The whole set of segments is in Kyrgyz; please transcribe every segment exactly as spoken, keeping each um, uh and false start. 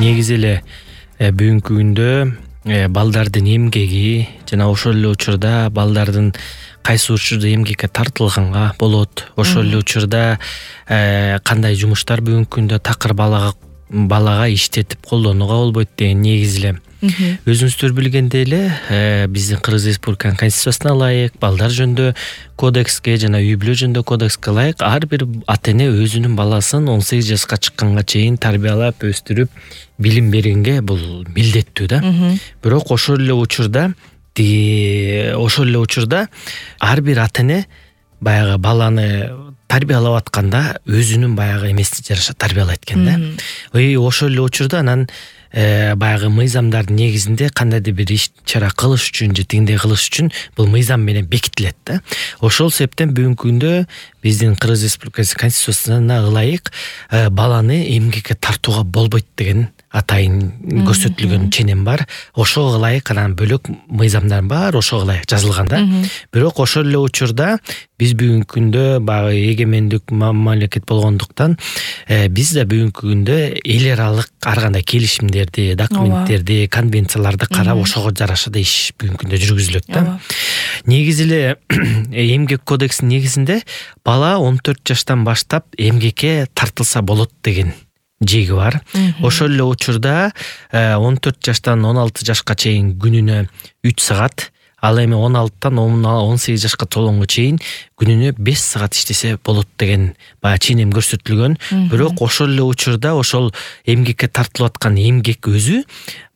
негизи эле бүгүнкү күндө балдардын эмгеги жана ошол эле учурда балдардын кайсы учурда эмгекке тартылганга болот, ошол эле учурда кандай жумуштар бүгүнкү күндө такыр балага балага иштетип колдонууга болбойт деген негизи эле өзүңүздөр билгендей эле биздин Кыргыз Республиканын Конституциясына ылайык, балдар жөнүндө кодекске жана үй бүлө жөнүндө кодекске ылайык ар бир ата эне өзүнүн баласын он сегиз жашка чыкканга чейин тарбиялап, өстүрүп, билим бергенге бул милдеттүү да. Бирок ошол эле учурда ошол эле учурда ар бир ата эне баягы баланы тарбиялап атканда өзүнүн баягы эмесине жараша тарбиялайт экен да. Ошол эле учурда анан баягы мыйзамдардын негизинде кандайдыр бир иш чара кылыш үчүн же тигиндей кылыш үчүн бул мыйзам менен бекитилет да. Ошол себептен бүгүнкү күндө биздин Кыргыз Республикасы Конституциясына ылайык баланы эмгекке тартууга болбойт деген атайын көрсөтүлгөн ченем бар. Ошого ылайык анан бөлөк мыйзамдар бар, ошого ылайык жазылган да. Бирок ошол эле учурда биз бүгүнкү күндө баягы эгемендик мамлекет болгондуктан биз да бүгүнкү күндө эл аралык ар кандай келишимдерди, документтерди, конвенцияларды карап ошого жараша да иш бүгүнкү күндө жүргүзүлөт да. Негизи эле эмгек кодексинин негизинде бала он төрт жаштан баштап эмгекке тартылса болот деген жеги бар. Ошол эле учурда он төрт жаштан он алты жашка чейин күнүнө үч саат, ал эми он алтыдан он сегиз жашка толгонго чейин күнүнө беш саат иштесе болот деген баягы ченем көрсөтүлгөн. Бирок ошол эле учурда ошол эмгекке тартылып аткан эмгек өзү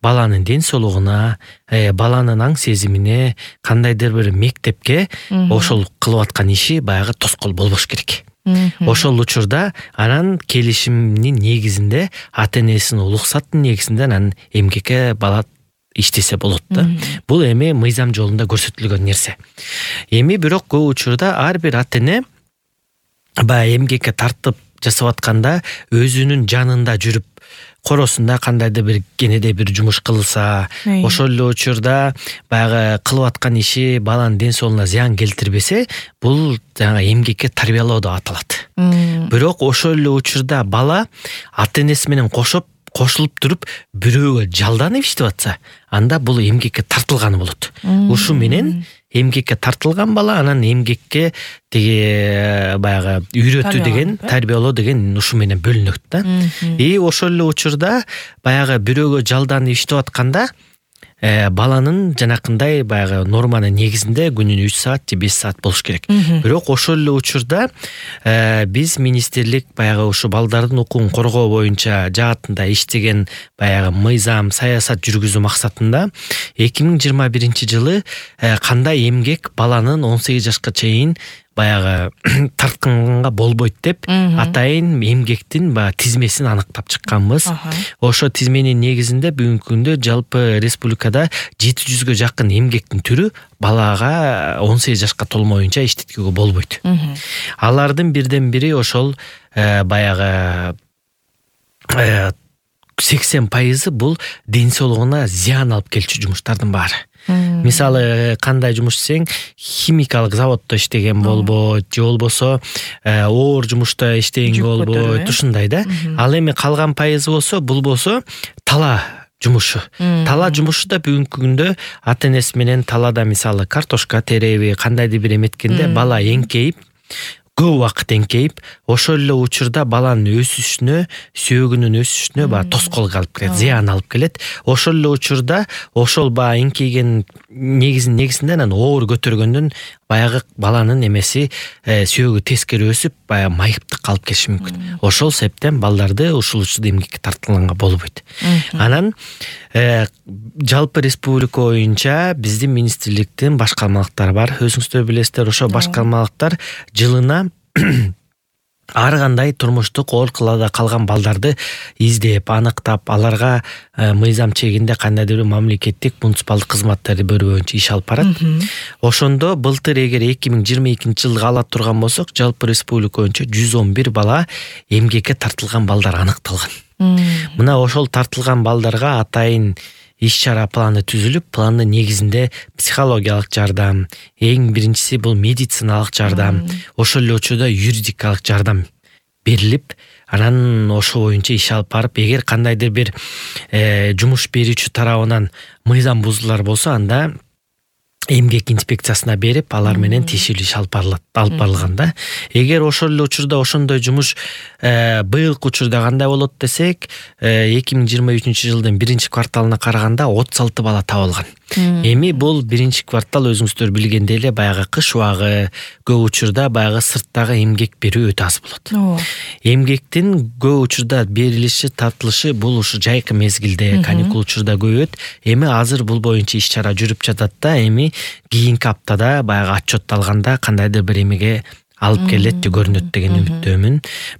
баланын ден соолугуна, баланын аң сезимине, кандайдыр бир мектепке ошол кылып аткан иши баягы тоскоол болбош керек. Ошол учурда анан келишимдин негизинде ата энесинин уруксаттын негизинде анан эмгекке бала иштесе болот да. Бул эми мыйзам жолунда көрсөтүлгөн нерсе. Эми бирок көп учурда ар бир ата эне баягы эмгекке тартып жасап атканда өзүнүн жанында жүрүп коросунда кандайдыр бир кенеде бир жумуш кылса, ошол эле учурда баягы кылып аткан иши баланын ден соолугуна зыян келтирбесе, бул жаңа эмгекке тарбиялоо деп аталат. Бирок ошол эле учурда бала ата энеси менен кошоп кошулуп туруп бирөөгө жалданып иштеп атса, анда бул эмгекке тартылганы болот. Ушу менен эмгекке тартылган бала анан эмгекке тиги баягы үйрөтүү деген, тарбиялоо деген ушу менен бөлүнөт да. И ошол эле учурда баягы бирөөгө жалданып иштеп атканда баланын жанакындай баягы норманын негизинде күнүнө үч саат же беш саат болуш керек. Бирок ошол эле учурда биз министрлик баягы ушу балдардын укугун коргоо боюнча жаатында иштеген баягы мыйзам, саясат жүргүзүү максатында эки миң жыйырма биринчи жылы кандай эмгек баланын он сегиз жашка чейин баягы тартканга болбойт деп атайын эмгектин баягы тизмесин аныктап чыкканбыз. Ошо тизменин негизинде бүгүнкү күндө жалпы республикада жети жүзгө жакын эмгектин түрү балага он сегиз жашка толмоюнча иштеткүүгө болбойт. Алардын бирден бири ошол баягы сексен пайызы бул ден соолугуна зыян алып келчү жумуштардын баары. Мисалы кандай жумуш десең, химикалык заводдо иштеген болбойт, же болбосо оор жумушта иштеген болбойт, ушундай да. Ал эми калган пайызы болсо, бул болсо тала жумушу. Тала жумушу да бүгүнкү күндө ата энеси менен талада мисалы картошка тереби, кандайдыр бир эметкенде бала эңкейип, көп убакыт эңкейип, ошол эле учурда баланын өсүшүнө, сөөгүнүн өсүшүнө баягы тоскоол алып келет, зыян алып келет. Ошол эле учурда ошол баягы эңкейген негизин негизинде анан оор көтөргөндөн баягы баланын эмеси сөөгү тескери өсүп, баягы майыптыкка алып келиши мүмкүн. Ошол себептен балдарды ушул учурда эмгекке тартылганга болбойт. Анан жалпы республика боюнча биздин министрликтин башкармалыктары бар. Өзүңүздөр билесиздер, ошо башкармалыктар жылына ар кандай турмуштук оорукаларда калган балдарды издеп, аныктап, аларга мыйзам чегинде кандайдыр бир мамлекеттик муниципалдык кызматтерди берүү боюнча иш алып барат. Ошондо былтыр эгер эки миң жыйырма экинчи жылга ала турган болсок, жалпы республика боюнча жүз он бир бала эмгекке тартылган балдар аныкталган. Мына ошол тартылган балдарга атайын иш-чара планы түзүлүп, пландын негизинде психологиялык жардам, эң биринчиси бул медициналык жардам, ошол эле учурда юридикалык жардам берилип, анан ошо боюнча иш алып барып, эгер кандайдыр бир жумуш берүүчү тарабынан мыйзам бузуулар болсо, анда эмгек инспекциясына берип, алар менен тиешелүү иш алып барылат, алып барылган да. Эгер ошол эле учурда ошондой жумуш быйылкы учурда кандай болот десек, эки миң жыйырма үчүнчү жылдын биринчи кварталына караганда отуз алты бала табылган. Эми бул биринчи квартал өзүңүздөр билгендей эле баягы кыш убагы, көп учурда баягы сырттагы эмгек берүү өтө аз болот. Эмгектин көп учурда берилиши, тартылышы бул ушу жайкы мезгилде, каникул учурда көбөйөт. Эми азыр бул боюнча иш чара жүрүп жатат да. Эми кийинки аптада баягы отчет алганда кандайдыр бир эмеге алып келет деп көрүнөт деген үмүттөмүн.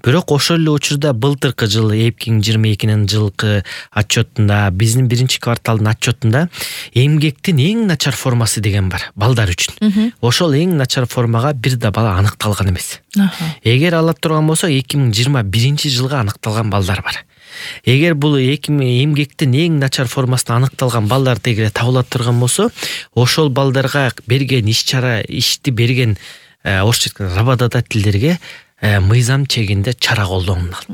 Бирок ошол эле учурда былтыркы жыл эки миң жыйырма экинин жылкы отчетунда, биздин биринчи кварталдын отчетунда эмгектин эң начар формасы деген бар балдар үчүн. Ошол эң начар формага бир да бала аныкталган эмес. Эгер ала турган болсо эки миң жыйырма биринчи жылга аныкталган балдар бар. Эгер бул эмгектин эң начар формасына аныкталган балдар дегеле табыла турган болсо, ошол балдарга берген иш чара, ишти берген орусча айтканда работодательдерге мыйзам чегинде чара колдонулат.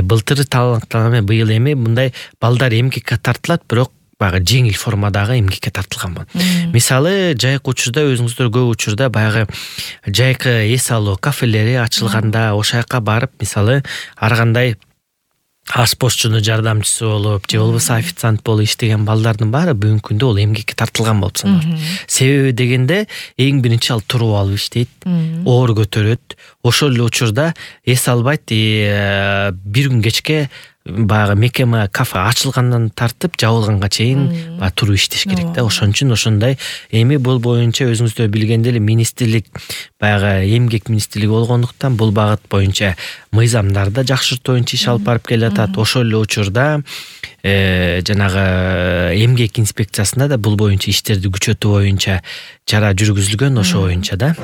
Былтыр талантанаме быйыл эми мындай балдар эмгекке тартылат, бирок баягы жеңил формадагы эмгекке тартылган. Мисалы, жайкы учурда өзүңүздөр көп учурда баягы жайкы эс алуу кафелери ачылганда, ошол жака барып, мисалы, ар кандай ашпозчунун жардамчысы болуп, же болбосо официант болуп иштеген балдардын баары бүгүнкү күндө ол эмгекке тартылган болуп саналат. Себеби дегенде эң биринчи ал туруп алып иштейт, оор көтөрөт. Ошол эле учурда эс албайт, бир күн кечке баягы мекеме кафе ачылгандан тартып жабылганга чейин баягы туруп иштеш керек да. Ошон үчүн ошондой. Эми бул боюнча өзүңүздөр билгендей эле министрлик, баягы эмгек министрлиги болгондуктан бул багыт боюнча мыйзамдарды жакшыртуу боюнча иш алып барып келатат. Ошол эле учурда жанагы эмгек инспекциясында да бул боюнча иштерди күчөтүү боюнча чара жүргүзүлгөн, ошо боюнча да.